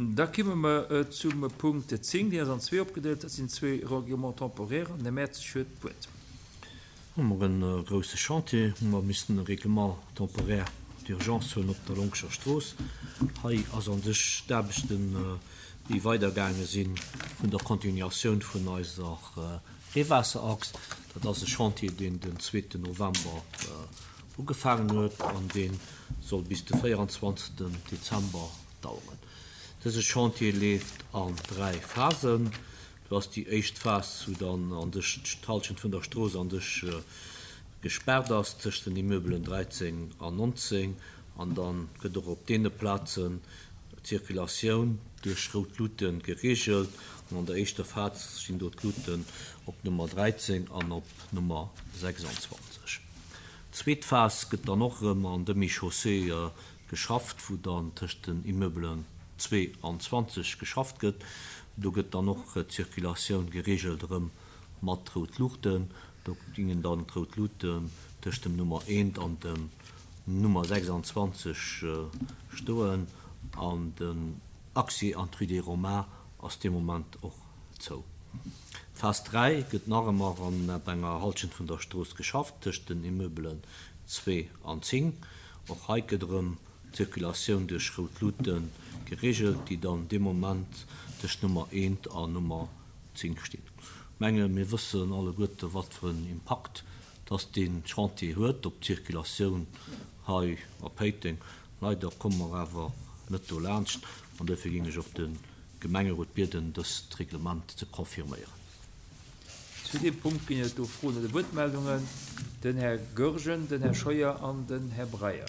Da kimme mer zum Punkt 10, deen ass an zwee opgedeelt. Dat sinn zwee Règlements temporaires an den Här Mertzig huet d'Wuert. Hu mer e grouse Chantier, hu mer missen e Règlement temporaire d'urgence huelen op der Lonkescher Strooss. Hei ass a sech d'Aarbechten, déi weidergaange si vun der Continuatioun vun eiser Reewaasserachs. Dat ass e Chantier, deen den zweeten November ugefaangen huet an dee soll bis de 24. Dezember daueren. Dëse Chantier leeft an 3 Phasen. Do ass déi éischt Phas, wou dann an sech d'Hallschent vun der Strooss an sech gespaart ass tëscht den Immeubelen 13 an 19 an da gëtt och op deene Plazen d'Circulatioun duerch rout Luute gereegelt an an der éischter Phas stinn do d'Luuten op Nummer 13 an op Nummer 26. D'zweet Phas gëtt dann och erëm an Demi-chaussée geschafft, wou dann tëscht den Immeubelen 2 an 20 geschafft gëtt. Do gëtt dann och d'Circulatioun gereegelt erëm mat rout Luuchten. Do gingen dann d'rout Luuten tëscht dem Nummer 1 an dem Nummer 26 stoen an den Accès an d'Rue des Romains ass dee Moment och zou. Phas 3 gëtt nach ëmmer an op enger Halschent vun der Strooss geschafft, tëscht den Immeubelen 2 an 10. Och hei gëtt erëm d'Circulatioun duerch rout Luute gereegelt, déi dann dee Moment tëscht Nummer 1 an Nummer 10 stinn. Ech menge mir wëssen alleguerte wat fir en Impakt dass dee Chantier huet op d'Circulatioun hei a Péiteng. Leider komme mer awer net dolaanscht an duerfir géing ech och de Gemengerot bieden, dëst Reglement ze confirméieren. Zu deem Punkt ginn et do Froen oder Wuertmeldungen. Den Här Goergen, den Här Scheuer an den Här Breyer.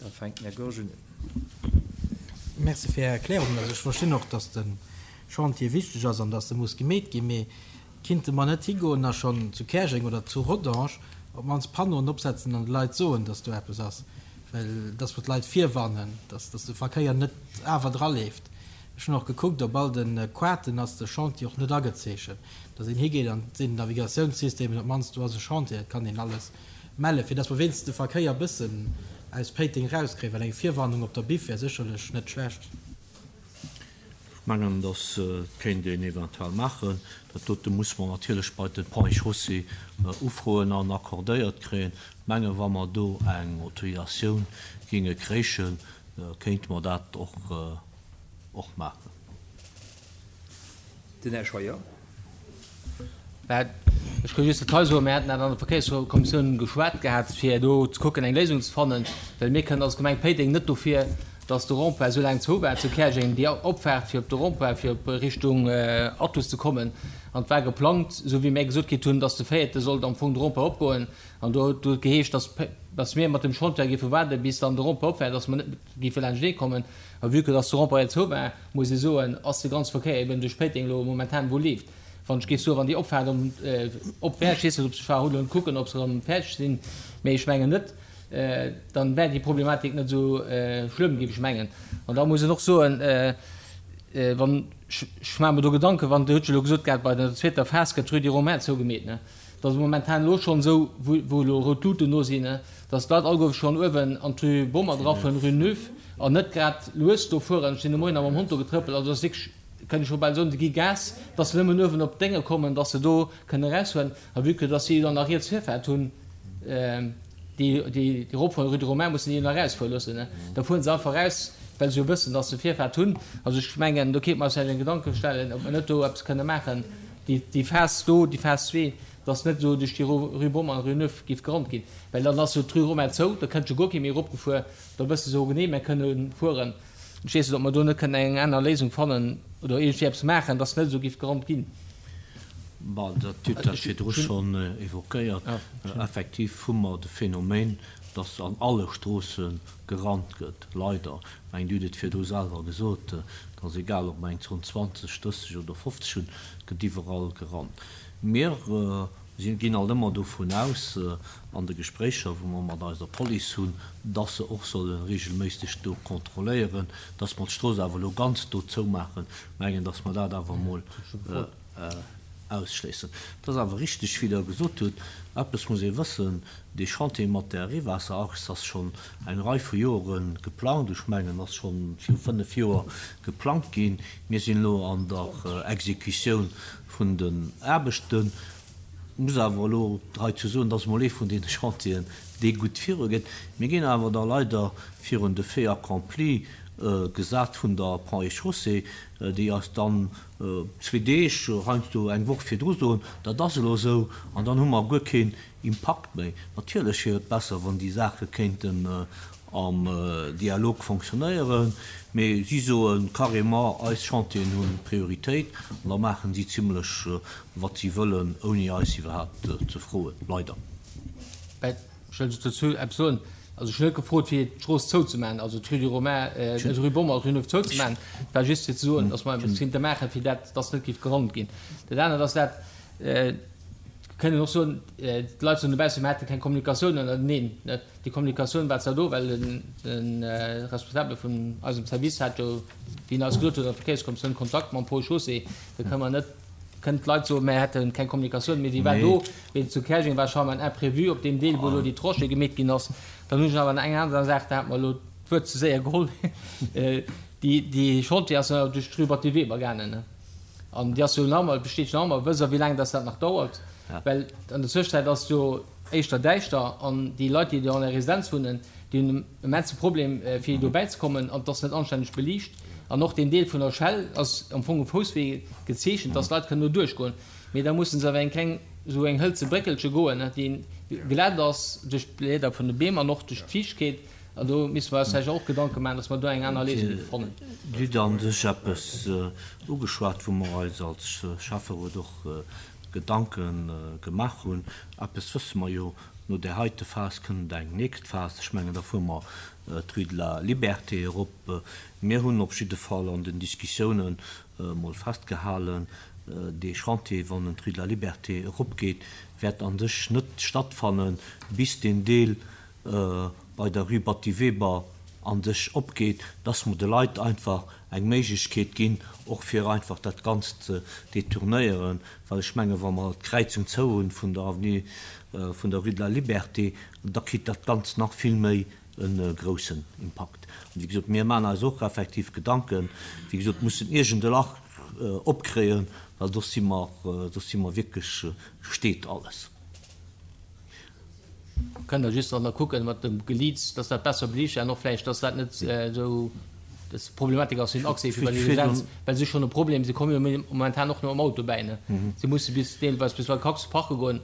Da fänkt den Här Goergen un. Merci fir Är Erklärungen. Also ech verstinn och, dass de Chantier wichteg ass an dass e muss gemeet ginn. Mee kinnte mer net higoen a schonn zu Käerjeng oder zu Rodange op d'mannst Panneauen opsetzen an de Leit soen, dass do eppes ass? Well dass mer d'Leit virwarnen, dass de Verkéier net awer draleeft. Ech hunn och gekuckt, op all de Quaten ass de Chantier och net agezeechent. Dass een higeet an et sinn Navigatiounssystemen, op d'mannst do ass e Chantier, dat kann een alles mellen, fir dass mer wéinstens de Verkéier e bëssen aus Péiteng erauskréien, well eng Virwarnung op der Biff wär sécherlech net schlecht. Ech mengen, dass kéint een eventuell maachen. Dat dote muss mer natierlech bei de Ponts et Chaussées ufroen an accordéiert kréien. Ech mengen, wa mer do eng Autorisatioun géinge kréichen, kéinte mer dat och och maachen. Den Här Scheuer. Ech ka just dat hei soen, Mir haten dat an der Verkéierskommissioun geschwat gehat, fir do ze kucken, eng Léisung ze fannen, well mir kënnen als Gemeng Péiteng net dofir, datt de Rond-point esou laang zou war zu Käerjeng, déi Opfaart fir op de Rond-point, fir op Richtung Athus ze kommen. An et war geplangt, esou wéi mir gesot kritt hunn, datt de véierte sollt am Fong de Rond-point opgoen. An do huet et geheescht, datt, datt mir mat dem Chantier géife waarde bis dann de Rond-point op war, datt mer net géife laanschtee kommen. A vue que dass de Rond-point zou war, muss ee soen, ass de ganze Verkéier eben duerch Péiteng elo momentan wou leeft. Wann ech géif soen, wann déi Opfaart om op wär, ech weess net, ob se, ech war elo kucken, ob se erëm fäerdeg sinn, mee ech mengen net, dann wär déi Problematik net esou schlëmm, géif ech mengen. An da muss een och soen, wann, ech maache mer do Gedanken, wann, Dir hutt jo elo gesot gehat, bei der zweeter Phas gëtt d'Rue des Romains zougemeet, ne? Et ass momentan elo schonn esou, wou elo rout Luuten do sinn, dass d'Leit alleguer schonn uewen an d'Rue Bomer drafueren, Rue Neuve, an net grad lues do fueren. Ech sinn de Moien nach mam Hond do getrëppelt, also dat ass wierklech, kënnt ech scho bal soen, se gi Gas, dass se nëmmen uewen op d'Dénge kommen, dass se do kënnen erausfueren. A vue que dass si dann nach riets Virfaart hunn, déi, déi eropfueren, Rue de Romain, mussen déi jo nach erausfuere loossen, da fuere se einfach eraus, well se jo wëssen, dass se Virfaart hunn. Also ech mengen, do kéinte mer eis vläicht eng Gedanke stellen, ob mer net do eppes kënne maachen. Déi Phas do, déi Phas zwee, dass net esou duerch déi Rue Bommel an Rue Neuve géif gerannt ginn, well dann ass jo d'Rue Romain zou, da kënnt jo guer kee méi eropgefuer, da wësse se och genee, mir kënne fueren. Ech weess net, ob mer do net kënnen eng aner Léisung fannen oder iergendwéi eppes maachen, dass net esou géif gerannt ginn. Bon, dat hutt Der virdru schonn évoquéiert. Effektiv hu mer de Phänomen, dass an alle Stroosse gerannt gëtt, leider. Ech mengen, Dir hutt et virdru selwer gesot, et ass egal, ob mer eng Zon 20, 30 oder 50 hunn, et gëtt iwwerall gerannt. Mir ginn alt ëmmer dovun aus, an de Gespréicher, wou mer mat eiser Police hunn, dass se och solle regelméisseg do kontrolléieren. Dass mer d'Strooss awer elo ganz do zoumaachen, mengen, dass mer dat awer emol. ausschléissen. Et ass awer richteg, wéi Der gesot hutt, eppes muss ee wëssen, Dee Chantier mat der Reewaasserachs ass schonn eng Rei vu Jore geplangt. Ech mengen, ass scho viru 5 Joer geplangt ginn. Mir sinn elo an der Exekutioun vun den Aarbechten. Muss awer elo heizou soen, dat ass emol ee vun deene Chantieren, dee gutt virugeet. Mir ginn awer da leider virun de Fait accompli gesat vun der Ponts et Chaussées, déi eis dann zwee Deeg, heiansdo eng Woch virdru soen, dat ass elo esou, an dann hu mer guer keen Impakt méi. Natierlech wier et besser, wann déi Saache kéinten am Dialog fonctionnéieren, mee si soe carrément, eis Chantieren hu Prioritéit, an da maachen si zimlech, wat si wëllen, ouni eis iwwerhaapt ze froen, leider. Ech wëll just dozou eppes soen. Also ech hunn net gefrot, fir d'Strooss zouzemaachen, also d'Rue du Romain, d'Rue Bommel, d'Rue Neuve zouzemaachen. Et war just fir ze soen, datt mer eppes kéinte maachen, fir dat, datt net géif gerannt ginn. Dat anert ass dat, Kënnen och soen, d'Leit soen dobaussen, mer hätte keng Kommunikatioun ënnerteneen. Déi Kommunikatioun war zwar do, well de Responsabele vun eisem Service hat jo, wéi en eis gesot huet, an der Verkéierskommissioun Kontakt mam Ponts et Chaussées. Da kënne mer net, kënnen d'Leit soen, mer hätte keng Kommunikatioun, mee déi war do. Mee zu Käerjeng war scheinbar en Imprévu op deem Deel, wou elo déi Tranchée gemeet ginn ass. Dann hunn ech awer nach eng aner Saach, da hat mer elo d'Wuert ze séier geholl, Déi Chantier ass jo duerch d'Rue Batty Weber gaangen. An déi ass jo nach ëmmer, besteet jo nach ëmmer. Wësst Der, wéi laang dass dat nach dauert? Well an der Zwëschenzäit ass et jo éischter däischter an déi Leit, déi do an der Residenz wunnen, déi hunn en immense Problem, fir do bäizekommen an et ass net anstänneg beliicht. An och deen Deel vun der Schell ass am Fong e Fousswee gezeechent, dass d'Leit kënnen do duerchgoen. Mee da musse se awer eng kleng, esou eng hëlze Bréckelche goen, déi glätt ass duerch d'Blieder vun de Beem an och duerch d'Fiichtkeet. An do misste mer eis vläicht och Gedanke maachen, dass mer do eng aner Léisung géife fannen. Dir hutt a sech eppes ugeschwat, wou mer eis als Schäfferot och Gedanke gemaach hunn. Eppes wësse mer jo, No där heite Phas kënnt eng nächst Phas. Ech mengen, da fuere mer d'Rue de la Liberté erop. Mir hunn op jidde Fall an den Diskussiounen emol festgehalen, dee Chantier, wann en d'Rue de la Liberté eropgeet, wäert a sech net stattfannen, bis deen Deel bei der Rue Batty Weber an sech opgeet, dass mer de Leit einfach eng Méiglechkeet ginn, och fir einfach dat Ganzt ze detournéieren, well ech menge wa mer d'Kräizung zou hunn vun der Avenue, vun der Rue de la Liberté, da kritt dat Ganzt nach vill méi e groussen Impakt. An wéi gesot, mir maachen eis och effektiv Gedanken, wéi gesot, mussen iergend e Lach opkréien, well soss si mer, soss si mer wierklech, steet alles. Kënnt der just nach kucken mat dem Geliits, dass dat besser beliicht an och vläicht, dass dat net esou des Problematik ass fir den Accès fir bei déi Residenz, well se hu schonn e Problem, se komme jo momentan och net mam Auto bäi, ne? Se musse bis deelweis bis bei Cactus parke goen,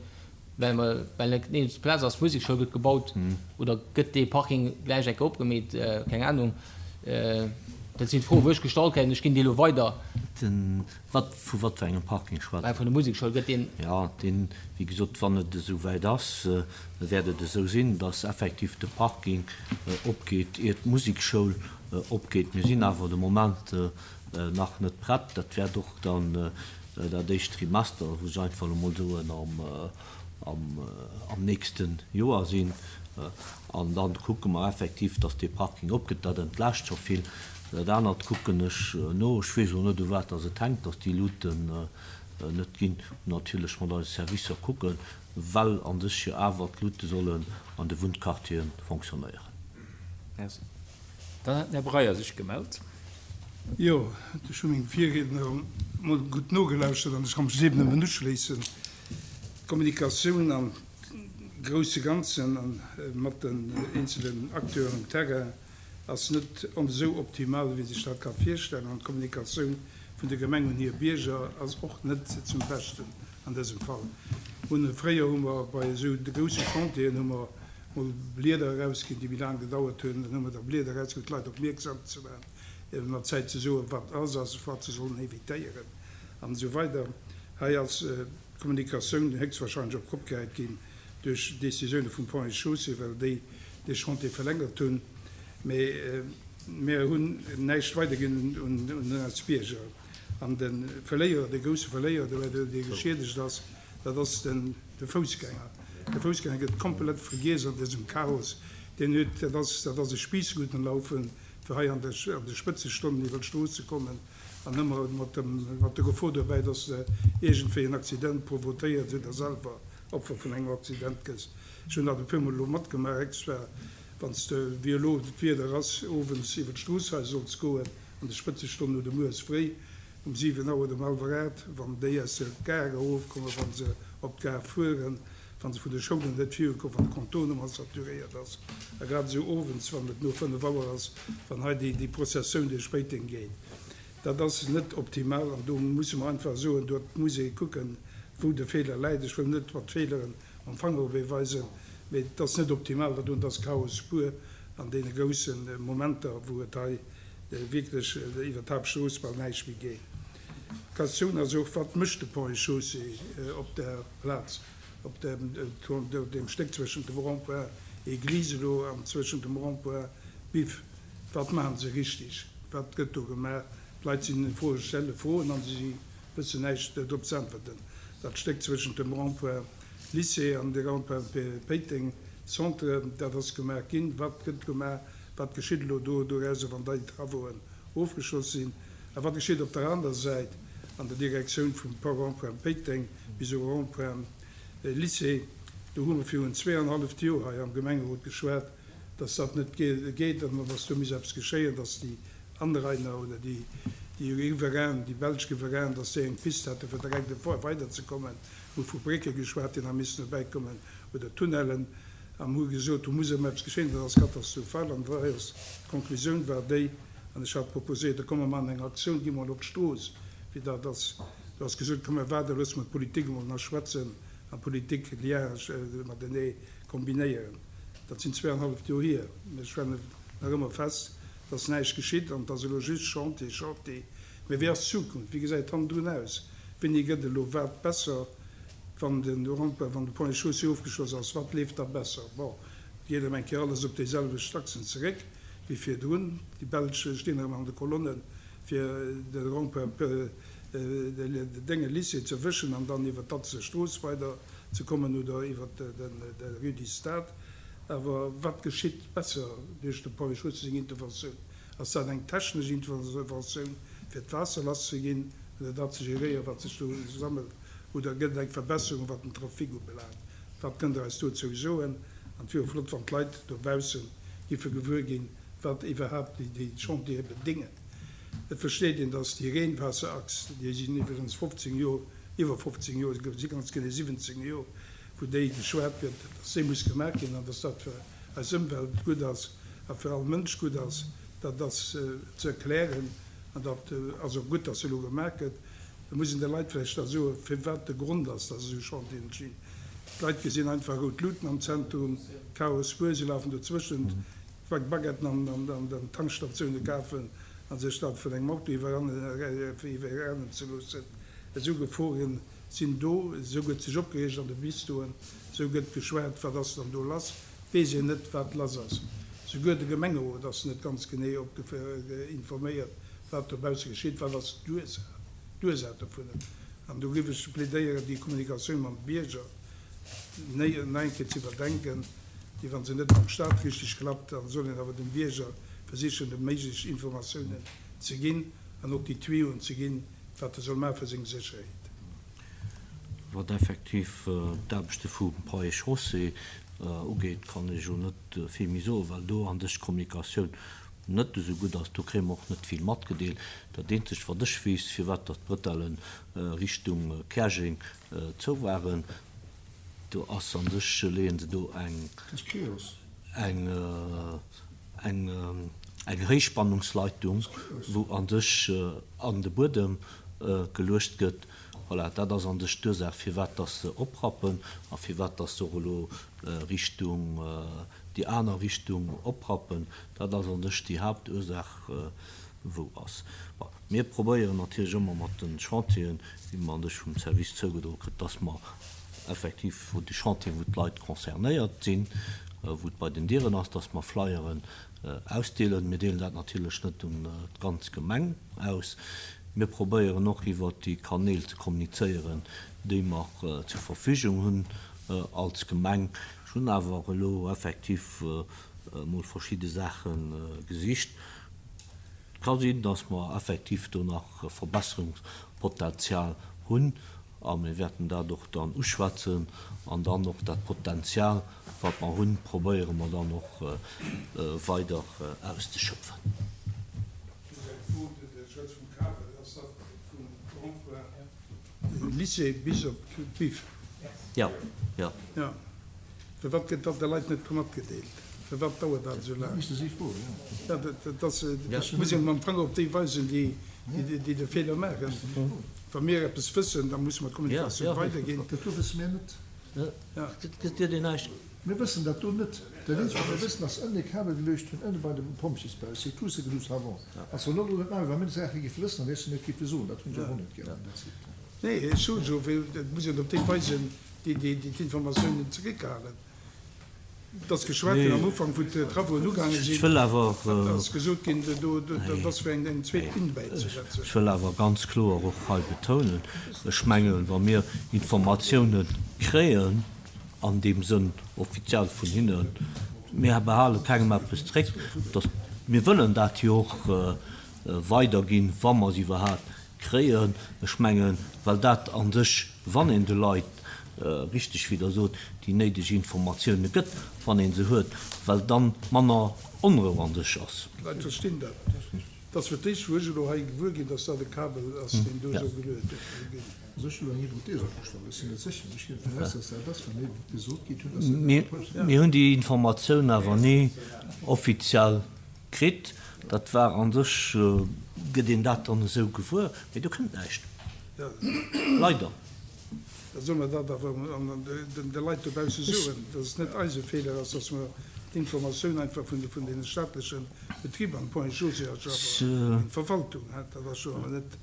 well mer, well net nirgends Plaz ass. D'Musekschoul gëtt gebaut oder gëtt dee Parking gläich eng Kéier opgemeet, keng Ahnung. Dat sinn d'Froen, wou ech gestallt kréien. Ech ginn déi elo weider. Wat, vu wat fir engem Parking schwätzt Der? Vun der Musekschoul gëtt deen. Jo, deen, wéi gesot, wann et esou wäit ass, wäert et esou sinn, dass effektiv de Parking opgeet, ier d'Musekschoul opgeet. Mir sinn awer de Moment nach net prett. Dat wäert och dann dat éischt Trimester, wou ech einfach elo mol soen, am nächste Joer sinn. An da kucke mer effektiv, dass dee Parking opgeet. Dat entlaascht scho vill. Dat anert kucken ech no. Ech weess och net, u wat dass et hänkt, dass déi Luuten net ginn. Natierlech mat eise Servicer kucken, well a sech jo awer d'Luute sollen an de Wunnquartiere fonctionnéieren. Merci. Dann hat den Här Breyer sech gemellt. Jo, ech hu mengem Virriedner emol gutt nogelauschtert an ech ka mech deem nëmmen uschléissen. D'Kommunikatioun am grousse Ganzen a mat den eenzelen Acteuren um Terrain ass net esou optimal, wéi ee sech dat ka virstellen. An d'Kommunikatioun vun der Gemeng un hir Bierger ass och net zum Beschten an dësem Fall. Hunn fréier hu mer bei esou grousse Chantieren hu mer mol Blieder erausginn, déi méi laang gedauert hunn. Dann hu mer da Blieder erausginn, fir d'Leit opmierksam ze maachen, mat Zäit ze soen, wat ass a wat se sollen evitéieren an esou weider. Hei ass d'Kommunikatioun héchstwahrscheinlech op d'Kopp gehäit ginn duerch Décisioune vum Ponts et Chaussées, well déi dee Chantier verlängert hunn. Mee mir hunn näischt weiderginn un eis Bierger. An de Verléierer, de grousse Verléierer dobäi, dee geschiedegt ass, dat ass de Foussgänger. De Foussgänger gëtt komplett vergiess an dësem Chaos. Deen huet, dat ass, dat ass e Spiissroutenlaufen, fir hei an de Spëtzestonnen iwwer d'Strooss ze kommen. An ëmmer mat dem, mat der Gefor dobäi, dass de iergendwéi en Accident provotéiers oder selwer Opfer vun engem Accident gëss. Ech hunn dat e puermol elo matgemaach, extra wann s de, wéi elo d'Wieder ass, owends iwwer d'Strooss hei solls goen, an de Spëtzestonnen oder mueres fréi um 7 Auer oder um hallwer 8, wann déi aus der Gare erofkommen, wa se op d'Gare fueren, wa se vun de Schoulen net virukommen, wann de Contournement saturéiert ass, a grad esou owends, wann et no 5 Auer ass, wann hei déi Prozessioun duerch Péiteng geet. Dat ass net optimal an do musse mer einfach soen, do muss ee kucken, wou de Feeler läit. Ech wëll net mat Feeleren mam Fanger op ee weisen, mee et ass net optimal, dat doen. Et ass Chaos pur an deene grousse Momenter, wou et hei wierklech iwwer d'Haaptstrooss bal näischt méi geet. D'Questioun ass och, Wat mécht de Ponts et Chaussées op der Plaz, op deem Stéck zwëschent dem Rond-point Église elo an zwëschent dem Rond-point Biff? Wat maachen se richtig? Wat gëtt do gemaach? D'Leit sinn, froe, stelle Froen an si wëssen näischt drop ze äntwerten. Dat Stéck zwëschent dem Rond-point Lycée an de Rond-point Péiteng Centre, dat ass gemaach ginn. Wat gëtt gemaach? Wat geschitt elo do dorauser, wann déi Travauxen ofgeschloss sinn? A wat geschitt op der anerer Säit an der Direktioun vum Rond-point Péiteng bis u Rond-point Lycée? Do hu mer virun zweeanhalleft Joer hei am Gemengerot geschwat, dass dat net geet an dass do muss eppes geschéien, dass déi Anrainer oder déi Riverainen, déi belsch Riverainen, dass déi eng Pist hätte fir direkt weiderzekommen. Hu vu Brécke geschwat, déi nach missten dobäikommen oder Tunnellen. A mer hu gesot, do muss ëmmer eppes geschéien, dat ass katastrophal. An hei ass d'Konklusioun war déi, an ech hat proposéiert, da komme mer maachen eng Aktioun, gi mol op d'Strooss, wéi dat ass. Do ass gesot, komm mir waarden, loosse mer d'Politik emol nach schwätzen an d'Politik Liaisë matenee kombinéieren. Dat sinn zweeanhalleft Joer hier. Mir stellen nach ëmmer fest, dass näischt geschitt an et ass elo just Chantier, Chantier. Mä wéi ass d'Zukunft? Wéi gesäit hannendrun aus? Wéini gëtt elo wat besser? Wann den Rond-point, wann de Pont et Chaussée ofgeschloss ass, wat leeft da besser? Bon, et geet erëm eng Kéier alles op déiselwecht Achsen zeréck wéi virdrun. Déi Belsch stinn erëm an de Kolonnen, fir de Rond-point, de Dénge Lycée ze erwëschen an dann iwwer d'Atzeler Strooss weider ze kommen oder iwwer de Rue du Stade. Awer wat geschitt besser duerch de Pont et Chaussée seng Interventioun? Ass dat eng technesch Interventioun, fir d'Waasser lasszeginn oder dat ze geréieren, wat sech do sammelt? Oder gëtt et eng Verbesserung, wat den Trafic ubelaangt? Wat kënnt Der eis dozou soen? An et wier och flott, wann d'Leit dobausse giffe gewuer ginn, wat iwwerhaapt déi Chantiere bedéngen. Et versteet een, dass déi Reenwaasserachs, déi sinn iwwregens 15 Joer, iwwer 15 Joer, et si ganz genee 17 Joer, wou déi geschwat gëtt, dass déi muss gemaach ginn an dass dat fir eis Ëmwelt gutt ass a fir all Mënsch gutt ass, dat ass ze erklären an dat ass och gutt, dass se elo gemaach gëtt. Da muss een de Leit vläicht da soen, firwat de Grond ass, dass esou Chantieren entstinn. D'Leit gesinn einfach rout Luuten am Zentrum, Chaos pur, si lafen dozwëschent, Baguetten an den Tankstatioune kafen a sech da vun engem Auto iwwerrennen ze loossen. Esou Geforen sinn do, esou gëtt sech opgereegt an de Bistroen, esou gëtt geschwat, wat ass dann do lass? Weess een net, wat lass ass. Souguer de Gemengerot ass net ganz genee informéiert, wat dobausse geschitt, wat ass d'Ursaach dovunner. An do géif ech plädéieren, déi Kommunikatioun mam Bierger nach eng Kéier ze iwwerdenken, déi, wa se net mam Stat richteg klappt, da soll een awer dem Bierger versichen, déi méiglech Informatiounen ze ginn an och déi Tuyoen ze ginn, wat e soll maache fir seng Sécherheet. Wat effektiv d'Aarbechte vum Ponts et Chaussées ugeet, kann ech elo net vill méi soen, well do an sech d'Kommunikatioun net esou gutt ass. Do kréie mer och net vill matgedeelt. Dat eenzegt, wat ech weess, firwat datt d'Bretelle Richtung Käerjeng zou waren, do ass an sech, leeën se do eng, eng, eng, eng Héichspannungsleitung, wou an sech an de Buedem geluecht gëtt. Voilà, dat ass an sech d'Ursaach, firwat dass se oprappen a firwat dass se och elo Richtung, déi aner Richtung oprappen. Dat ass an sech déi Haaptursaach, wou ass. Bon, mir probéieren natierlech ëmmer mat de Chantieren, déi mer an sech vum Service zougedroe kritt, dass mer effektiv, wou déi Chantieren, wou d'Leit concernéiert sinn, wou et bei den Dieren ass, dass mer Flyeren ausdeelen. Mir deelen dat natierlech net un d'ganz Gemeng aus. Mir probéieren och iwwert déi Kanäl ze kommunizéieren, déi mer zur Verfügung hunn als Gemeng. Ech hunn awer elo effektiv emol verschidde Saache gesicht. Et ka sinn, dass mer effektiv do nach Verbesserungspotenzial hunn a mir wäerten dat och dann uschwätzen an dann och dat Potenzial, wat mer hunn, probéiere mer dann och weider auszeschöpfen. Just eng Fro, De Schwätz vum Kabel, ass dat vum Rond-point Lycée bis op d'Biff? Jo, jo. Jo. Firwat gëtt dat de Leit net matgedeelt? Firwat dauert dat esou laang? Jo, dat ass, et muss een am Fong op déi weisen, déi, déi de Feeler maachen. Wa mir eppes wëssen, da musse mer d'Kommunikatioun weiderginn. Dat do wësse mir net. Dat gëtt een näischt. Mir wëssen dat do net. Dat eenzegt, wat mir wëssen, ass ënne Kabel geluecht hunn, ënne bei dem Pompjeesbau, c'est tout ce que nous savons. An zwar net elo net maachen, wa mir Saache géife wëssen, da géife mir et géife soen. Dat hunn se och net gären, dat seet. Nee, ech soe jo, et muss een op déi weisen, déi d'Informatiounen zeréckhalen. Et ass geschwat ginn am Ufank, wou d'Travauxen ugaange sinn, et ass gesot ginn, dat ass fir eng zweet Linn bäizesetzen. Ech wëll awer ganz kloer och hei betounen, ech mengen, wa mir Informatiounen kréien, an deem Sënn offiziell vun hinnen, mir behale kengem eppes zréck, dass mir wëllen dat jo och weiderginn, wa mer se iwwerhaapt Kréien. Ech mengen, well dat a sech, wann een de Leit, richteg wéi Der sot, déi néideg Informatioune gëtt, wann ee se huet, well dann manner Onrou a sech ass. D'Leit verstinn dat. Et ass fir d'éischt, wou ech elo hei gewuer ginn, dass dat e Kabel ass, deen do soll geluecht ginn. Also ech hunn elo eng Hypothese opgestallt, ech sinn net sécher, mee ech ginn dovun aus, dass dat ass, well mir gesot kritt hunn, dass dat. Mir hunn déi Informatioun awer ni offiziell Kritt. Dat war a sech, gëtt een dat dann esou gewuer, mee do kënnt näischt. Leider. Da solle mer dat awer de Leit dobausse soen, dass et net eise Feeler ass, dass mer d'Informatioun einfach vun deene staatleche Betriber, an d'Ponts et Chaussées ass jo awer eng Verwaltung, dat ass jo awer net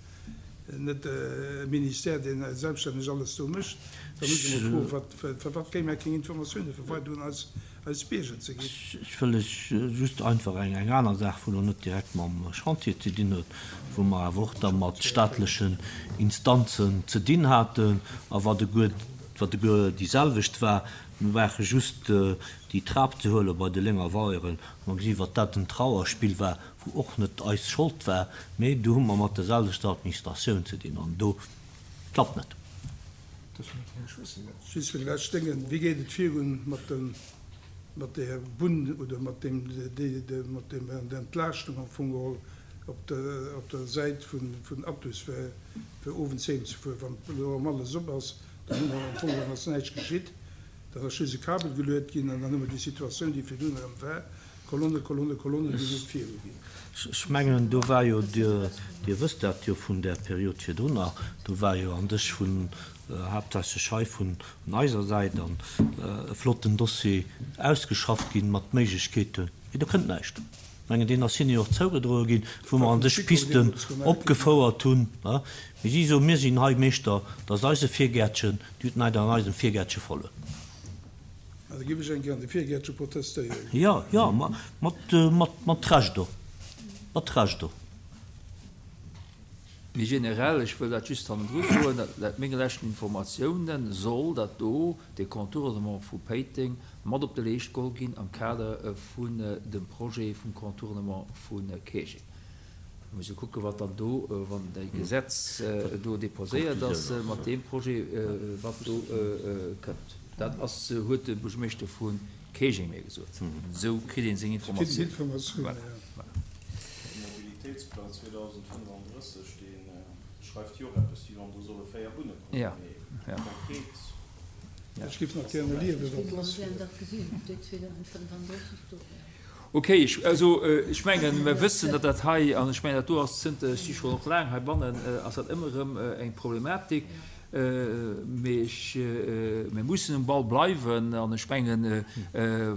net e Ministère, deen selbststänneg alles do mécht. Da muss ech emol froen, firwat kréie mer keng Informatioune fir weider un eis eis Bierger ze ginn. Ech wëll lech just einfach eng aner Saach, wou elo net direkt mam Chantier ze dinn huet, wou mer awer och da mat staatlechen Instanzen ze dinn haten a wat eguer, wat eguer déi selwecht war. Mir brauche just déi Trap ze huele bei de Lénger Weieren, a mer gesi wat dat en Trauerspill war, wou och net eis Schold war, mee do hu mer mat der selwechter Administratioun ze dinn an do klappt net. Just fir de lescht Déngen, Wéi geet et virun mat dem, mat där Bunn oder mat deem, mat deem Entlaaschtung am Fong geholl op der, op der Säit vun, vun Athus fir, fir owends heem ze fueren? Wann elo erëm alles op ass, dann hu mer am Fong geholl ass näischt geschitt, dann ass just e Kabel geluet ginn an dann hu mer déi Situatioun, déi virdrun erëm war, Kolonne, Kolonne, Kolonne, déi net viruginn. Ech mengen, do war jo, Dir wësst dat jo vun där Period virdrunner, do war jo an sech vun, haaptsächlech hei vun eiser Säit an e flotten Dossier ausgeschafft ginn mat Méiglechkeeten, mee do kënnt näischt. Ech mengen, deen ass hinne jo och zougedroe ginn, wou mer an sech Pisten opgefouert hunn. Mee si soen, mir sinn hei Meeschter, dat ass eise Virgäertchen, Dir hutt näischt an eisem Virgäertche verluer. Da giff ech eng Kéier an de Virgäertche protestéieren. Jo, jo, mat Recht och, mat Recht och. Méi generell, ech wëll dat just hannendru soen, laut menge leschten Informatiounen soll dat do, dee Contournement vu Péiteng, mat op de Leescht geholl ginn am Kader vun dem Projet vum Contournement vu Käerjeng. Mir musse kucken, wat dann do, wann déi Gesetz do déposéiert ass, mat deem Projet, wat do kënnt. Dat ass, huet de Buergermeeschter vu Käerjeng mir gesot. Esou kritt ee seng Informatiounen. Voilà. De Mobilitéitsplang 2035, dee schreift jo och eppes, wéi wann do solle 4 Bunne kommen, mee konkret. Ech géif nach gären erliewen, wat lass wier. Ok, ech, also ech mengen, mer wëssen, datt dat hei, an ech mengen, dat do ass zënter, ech si schonn och laang heibannen, ass dat ëmmer erëm eng Problematik. Mee ech, mir mussen um Ball bleiwen. An ech mengen,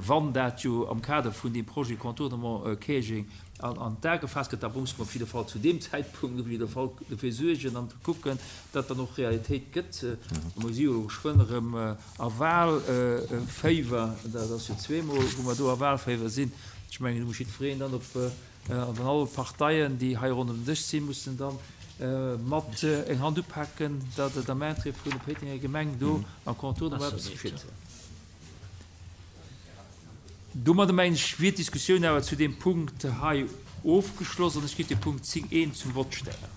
wann dat jo am Kader vun deem Projet Contournement Käerjeng an d'A gefaasst gëtt, da musse mer op jidde Fall zu deem Zäitpunkt op jidde Fall dofir suergen an kucken, datt dann och Realitéit gëtt. Mer si jo elo geschwënn erëm A Wahlféiwer, dat ass jo zweemol, wou mer do a Wahlféiwer sinn. Ech mengen, do muss jiddwereen dann op, an all Parteien, déi hei ronderëm den Dësch sinn, mussen da mat eng Hand upaken, datt et am Interêt vun der Péitenger Gemeng do am Contournement eppes geschitt. Domadder, mengen ech, wier d'Diskussioun awer zu deem Punkt hei. Ofgeschloss an ech géif de Punkt 10 I zum Vott stellen.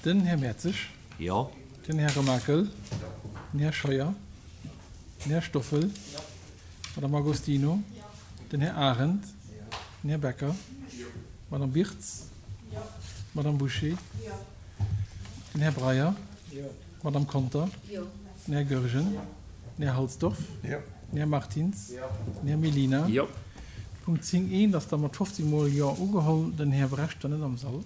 Den Här Mertzig. Jo. Den Här Remakel. Den Här Scheuer. Den Här Stoffel. D'Madame Agostino. Den Här Arendt. Den Här Becker. D'Madame Birtz. D'Madame Bouché. Den Här Breyer. D'Madame Conter. Den Här Goergen. Den Här Halsdorf. Den Här Martins. Den Här Mellina. Punkt 10 I ass da mat 15 mol Jo ugeholl. Den Här Brecht war net am Sall.